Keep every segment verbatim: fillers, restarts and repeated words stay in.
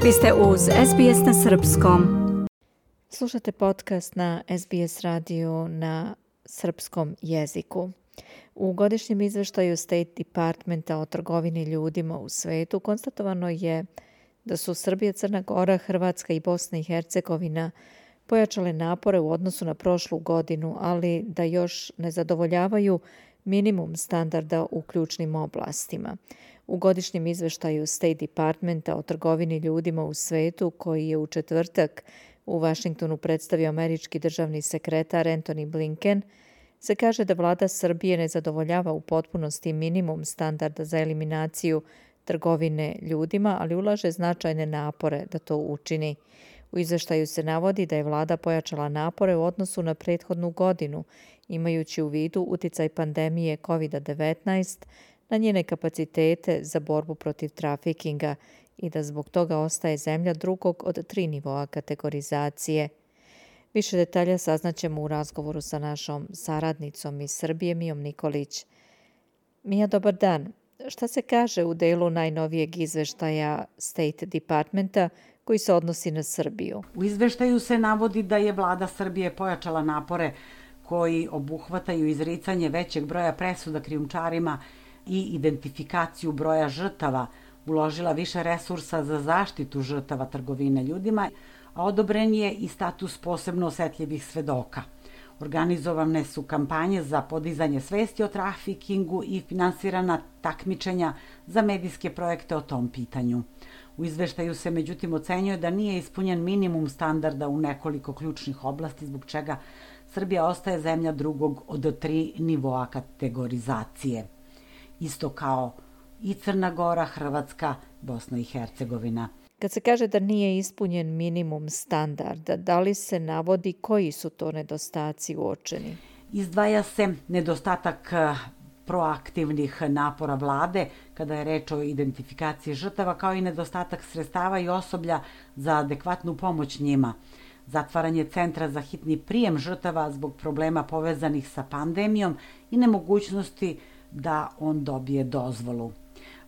Vi ste uz S B S na srpskom. Slušate podcast na S B S radiju na srpskom jeziku. U godišnjem izveštaju State Departmenta o trgovini ljudima u svetu konstatovano je da su Srbija, Crna Gora, Hrvatska i Bosna i Hercegovina pojačale napore u odnosu na prošlu godinu, ali da još ne zadovoljavaju minimum standarda u ključnim oblastima. U godišnjem izveštaju State Departmenta o trgovini ljudima u svetu, koji je u četvrtak u Vašingtonu predstavio američki državni sekretar Antony Blinken, se kaže da vlada Srbije ne zadovoljava u potpunosti minimum standarda za eliminaciju trgovine ljudima, ali ulaže značajne napore da to učini. U izveštaju se navodi da je vlada pojačala napore u odnosu na prethodnu godinu, imajući u vidu uticaj pandemije kovid devetnaest na njene kapacitete za borbu protiv trafikinga i da zbog toga ostaje zemlja drugog od tri nivoa kategorizacije. Više detalja saznaćemo u razgovoru sa našom saradnicom iz Srbije, Mijom Nikolić. Mija, dobar dan. Šta se kaže u delu najnovijeg izveštaja State Departmenta koji se odnosi na Srbiju? U izveštaju se navodi da je vlada Srbije pojačala napore koji obuhvataju izricanje većeg broja presuda krijumčarima i identifikaciju broja žrtava, uložila više resursa za zaštitu žrtava trgovine ljudima, a odobren je i status posebno osetljivih svedoka. Organizovane su kampanje za podizanje svesti o trafikingu i finansirana takmičenja za medijske projekte o tom pitanju. U izveštaju se međutim ocenjuje da nije ispunjen minimum standarda u nekoliko ključnih oblasti, zbog čega Srbija ostaje zemlja drugog od tri nivoa kategorizacije. Isto kao i Crna Gora, Hrvatska, Bosna i Hercegovina. Kad se kaže da nije ispunjen minimum standarda, da li se navodi koji su to nedostaci uočeni? Izdvaja se nedostatak proaktivnih napora vlade kada je reč o identifikaciji žrtava, kao i nedostatak sredstava i osoblja za adekvatnu pomoć njima. Zatvaranje centra za hitni prijem žrtava zbog problema povezanih sa pandemijom i nemogućnosti da on dobije dozvolu.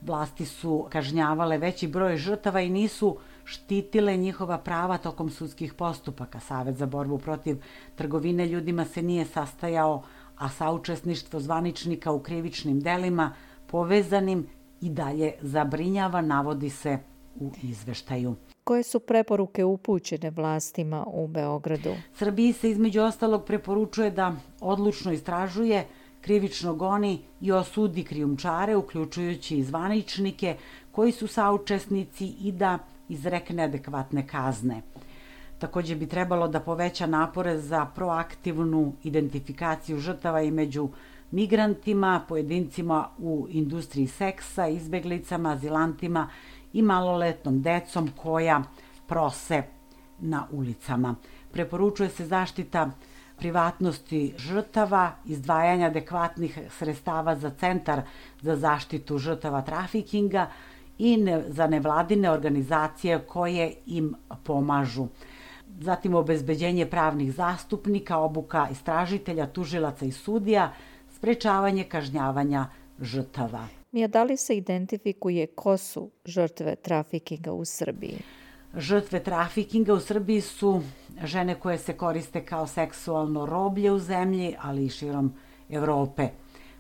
Vlasti su kažnjavale veći broj žrtava i nisu štitile njihova prava tokom sudskih postupaka. Savet za borbu protiv trgovine ljudima se nije sastajao, a saučesništvo zvaničnika u krivičnim delima povezanim i dalje zabrinjava, navodi se u izveštaju. Koje su preporuke upućene vlastima u Beogradu? Srbiji se između ostalog preporučuje da odlučno istražuje, krivično goni i osudi krijumčare, uključujući i zvaničnike koji su saučesnici, i da izrekne adekvatne kazne. Također bi trebalo da poveća napore za proaktivnu identifikaciju žrtava i među migrantima, pojedincima u industriji seksa, izbeglicama, azilantima i maloletnom decom koja prose na ulicama. Preporučuje se zaštita privatnosti žrtava, izdvajanja adekvatnih sredstava za centar za zaštitu žrtava trafikinga i ne, za nevladine organizacije koje im pomažu. Zatim obezbeđenje pravnih zastupnika, obuka istražitelja, tužilaca i sudija, sprečavanje kažnjavanja žrtava. Mija, da li se identifikuje ko su žrtve trafikinga u Srbiji? Žrtve trafikinga u Srbiji su žene koje se koriste kao seksualno roblje u zemlji, ali i širom Evrope.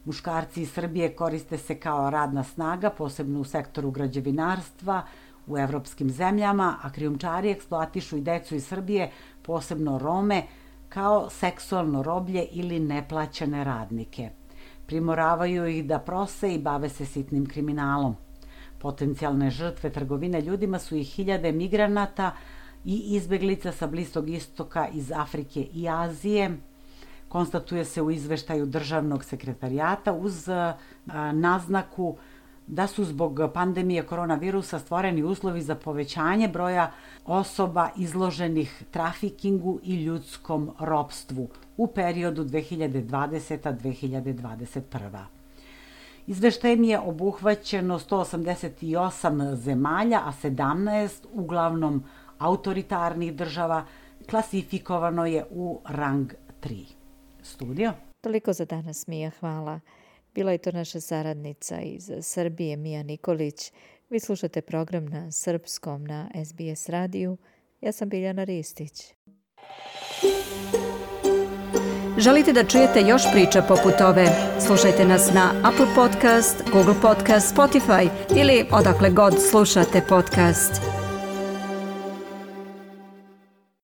Muškarci iz Srbije koriste se kao radna snaga, posebno u sektoru građevinarstva u evropskim zemljama, a krijumčari eksploatišu i decu iz Srbije, posebno Rome, kao seksualno roblje ili neplaćene radnike. Primoravaju ih da prose i bave se sitnim kriminalom. Potencijalne žrtve trgovine ljudima su i hiljade migranata i izbeglica sa Bliskog istoka, iz Afrike i Azije. Konstatuje se u izveštaju državnog sekretarijata uz naznaku da su zbog pandemije koronavirusa stvoreni uslovi za povećanje broja osoba izloženih trafikingu i ljudskom ropstvu u periodu dve hiljade dvadeseta do dve hiljade dvadeset prva. Izveštajem je obuhvaćeno sto osamdeset osam zemalja, a sedamnaest uglavnom autoritarnih država klasifikovano je u rang tri. Studio? Toliko za danas, Mija, hvala. Bila je to naša saradnica iz Srbije, Mija Nikolić. Vi slušate program na srpskom na S B S radiju. Ja sam Biljana Ristić. Želite da čujete još priča poput ove? Slušajte nas na Apple Podcast, Google Podcast, Spotify ili odakle god slušate podcast.